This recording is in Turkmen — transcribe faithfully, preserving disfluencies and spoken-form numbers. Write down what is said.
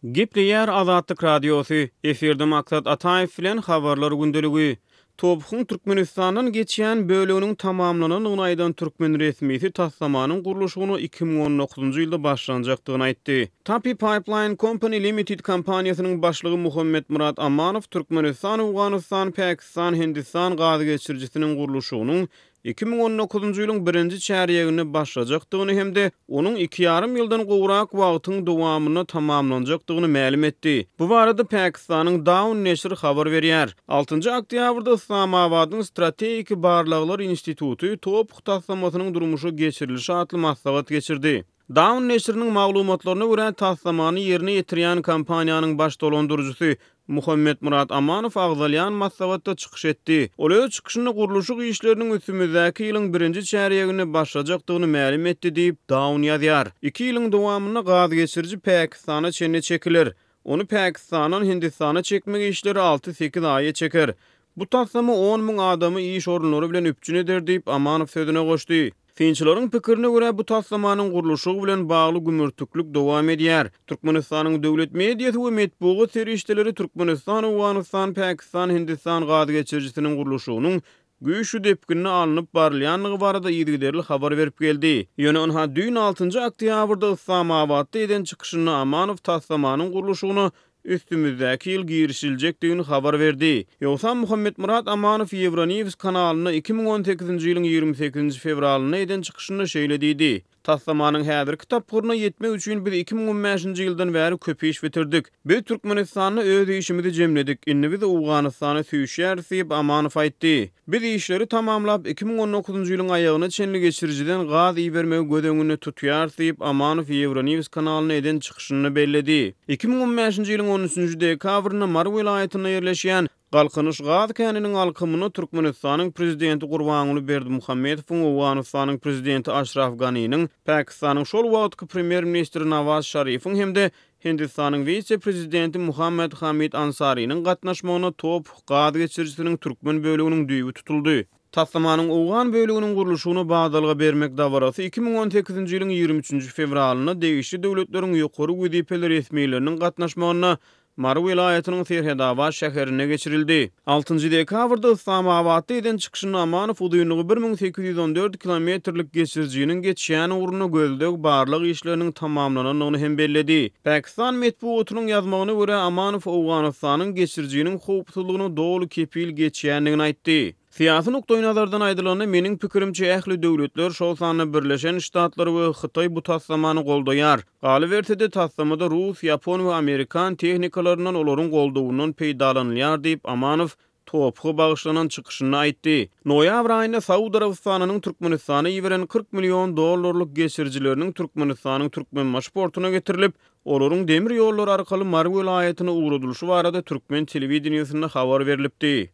Gepleýär Azatlyk Radiosy, efirde Maksat Ataýew bilen Habarlar gündeligi. TOPH-yň Türkmenistandan geçýän böleginiň tamamlanandygyny aýdan türkmen resmisi taslamanyň gurluşygyna iki müň on dokuzynjy ýylda başlanjakdygyny aýtdy. TAPI Pipeline Company Limited kompaniýasynyň başlygy Muhammetmyrat Amanow Türkmenistan, Owganystan, Pakistan, Hindistan gaz geçirijisiniň gurluşygynyň iki müň on dokuzynjy ýylyň birinji çärýeginde başlajakdygyny hem-de onuň iki ýarym ýyldan gowrak wagtyň dowamynda tamamlanjakdygyny mälim etdi. Bu barada Pakistanyň Dawn neşiri habar berýär. Altynjy oktýabrda Yslamabadyň Strategik barlaglar instituty TOPH taslamasynyň durmuşa geçirilişi atly maslahat geçirdi. Dawn neşiriniň maglumatlaryna görä, taslamany ýerine ýetirýän kompaniýanyň baş dolandyryjysy Muhammetmyrat Amanow agzalýan maslahatda çykyş etdi. Ol öz çykyşynda gurluşyk işleriniň üstümizdäki ýylyň birinji çärýeginde başlajakdygyny mälim etdi diýip, Dawn ýazýar. Iki ýylyň dowamynda gaz geçiriji Pakistana çenli çekiler. Ony Pakistandan Hindistana çekmek işleri alty-sekiz aýa çeker. Bu taslama on müň adamy iş orunlary bilen üpjün eder diýip, Amanow sözüne goşdy. Synçylaryň pikirine görä, bu taslamanyň gurluşygy bilen bagly gümürtiklik dowam edýär. Türkmenistanyň döwlet mediasy we metbugat serişdeleri Türkmenistan, Owganystan, Pakistan, Hindistan gaz geçirijisiniň gurluşygynyň güýçli depginde alnyp barylýandygy barada yzygiderli habar berip geldi. Ýöne ynha düýn altynjy oktýabrda Yslamabatda eden çykyşynda Amanow taslamanyň gurluşygyna üstümizdäki ýyl girişiljekdigini habar berdi. Ýogsam Muhammetmyrat Amanow Euronews kanalynda iki müň on sekizinji ýylyň ýigrimi sekizinji fewralynda eden çykyşynda şeýle diýdi, Taslamanyň häzirki tapgyryna ýetmek üçin biz iki müň on bäşinji ýyldan bäri köp iş bitirdik. Biz Türkmenistanda öz işimizi jemledik, indi biz Owganystana süýşýäris diýip, Amanow aýtdy. Biz işleri tamamlap, iki müň on dokuzynjy ýylyň aýagyna çenli geçirijiden gaz ibermegi göz öňünde tutýarys diýip, Amanow Euronews kanalynda eden çykyşynda belledi. Iki müň on bäşinji ýylyň on üçünji dekabrynda Mary welaýatynda ýerleşýän Galkynyş gaz käniniň alkymynda Türkmenistanyň Prezidenti Gurbanguly Berdimuhamedowyň, Owganystanyň Prezidenti Aşraf Ganiniň, Pakistanyň şol wagtky Premýer-ministri Nawaz Şarifiň hem-de Hindistanyň wise-prezidenti Muhammed Hamid Ansariniň gatnaşmagynda TOPH gaz geçirijisiniň türkmen böleginiň düýbi tutuldy. Taslamanyň owgan böleginiň gurluşygyna badalga bermek dabarasy iki müň on sekizinji ýylyň ýigrimi üçünji fewralynda degişli döwletleriň ýokary wezipeli resmileriniň gatnaşmagynda Mary welaýatynyň Serhetabat şäherinde geçirildi. Altynjy dekabrda Yslamabatda eden çykyşynda Amanow uzynlygy bir müň sekiz ýüz on dört kilometrlik geçirijiniň geçýän ugrunda gözleg-barlag işleriniň tamamlanandygyny hem belledi. Pakistan metbugatynyň ýazmagyna görä, Amanow Owganystanyň geçirijiniň howpsuzlygyna doly kepil geçýändigini aýtdy. Syýasy nukdaýnazardan aýdylanda, meniň pikirimçe, ähli döwletler, şol sanda Birleşen Ştatlar we Hytaý bu taslamany goldaýar. Galyberse-de, taslamada rus, ýapon we amerikan tehnikalaryndan olaryň goldawyndan peýdalanylýar diýip, Amanow TOPH-a bagyşlanan çykyşynda aýtdy. Noýabr aýynda Saud Arabystanynyň Türkmenistana iberen kyrk million dollarlyk geçirijileriniň Türkmenistanyň Türkmenbaşy portuna getirilip, olaryň demir ýollary arkaly Mary welaýatyna ugradylyşy barada türkmen telewideniýesinde habar berlipdi.